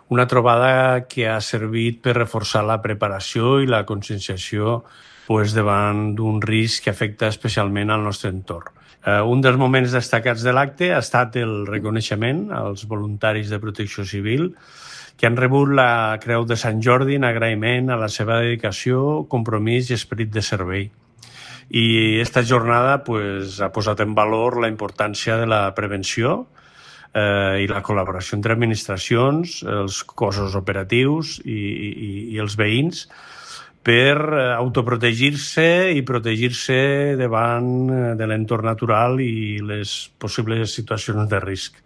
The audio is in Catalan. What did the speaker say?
una trobada que ha servit per reforçar la preparació i la conscienciació davant d'un risc que afecta especialment al nostre entorn. Un dels moments destacats de l'acte ha estat el reconeixement als voluntaris de protecció civil que han rebut la Creu de Sant Jordi en agraïment a la seva dedicació, compromís i esperit de servei. I esta jornada ha posat en valor la importància de la prevenció i la col·laboració entre administracions, els cossos operatius i els veïns per autoprotegir-se i protegir-se davant de l'entorn natural i les possibles situacions de risc.